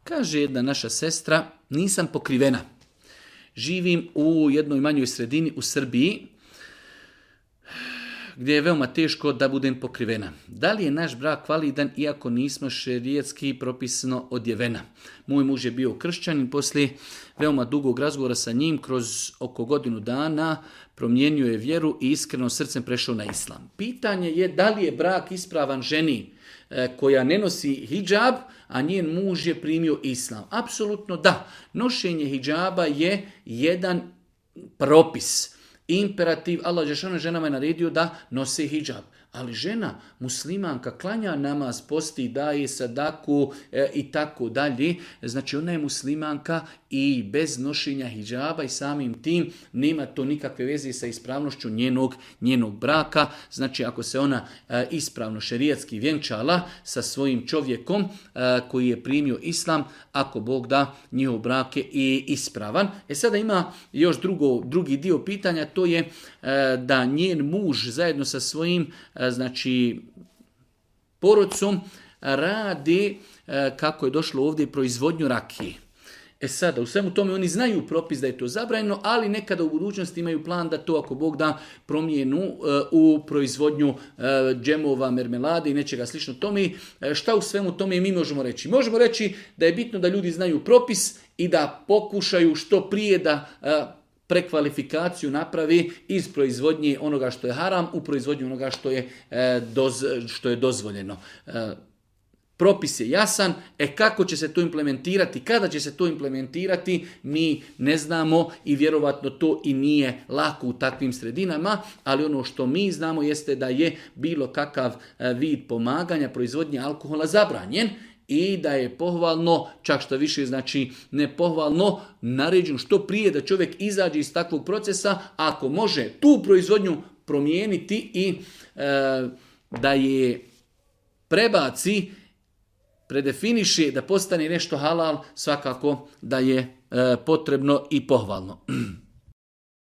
Kaže jedna naša sestra, nisam pokrivena. Živim u jednoj manjoj sredini u Srbiji, gdje je veoma teško da budem pokrivena. Da li je naš brak validan iako nismo šerijetski propisano odjevena? Moj muž je bio kršćanin, poslije veoma dugog razgovora sa njim, kroz oko godinu dana promijenio je vjeru i iskreno srcem prešao na islam. Pitanje je da li je brak ispravan ženi koja ne nosi hidžab, a njen muž je primio islam. Apsolutno da. Nošenje hidžaba je jedan propis. Imperativ, Allah dželle ženama je naredio da nose hidžab. Ali žena, muslimanka, klanja namaz, posti, daje sadaku i tako dalje. Znači ona je muslimanka i bez nošenja hidžaba i samim tim nema to nikakve veze sa ispravnošću njenog braka. Znači ako se ona ispravno šerijatski vjenčala sa svojim čovjekom koji je primio islam, ako Bog da, njihov brak je i ispravan. Sada ima još drugi dio pitanja, to je da njen muž zajedno sa svojim porodcom radi, kako je došlo ovdje, proizvodnju rakije. Sada, u svemu tome oni znaju propis da je to zabranjeno, ali nekada u budućnosti imaju plan da to, ako Bog da, promijenu u proizvodnju džemova, mermelade i nečega slično tome. Šta u svemu tome mi možemo reći? Možemo reći da je bitno da ljudi znaju propis i da pokušaju što prije da prekvalifikaciju napravi iz proizvodnje onoga što je haram u proizvodnju onoga što je dozvoljeno. Propis je jasan, kako će se to implementirati, kada će se to implementirati, mi ne znamo i vjerovatno to i nije lako u takvim sredinama, ali ono što mi znamo jeste da je bilo kakav vid pomaganja proizvodnje alkohola zabranjen i da je pohvalno, čak što više znači ne pohvalno, naređeno što prije da čovjek izađe iz takvog procesa, ako može tu proizvodnju promijeniti i da je prebaci, predefiniše da postane nešto halal, svakako da je potrebno i pohvalno.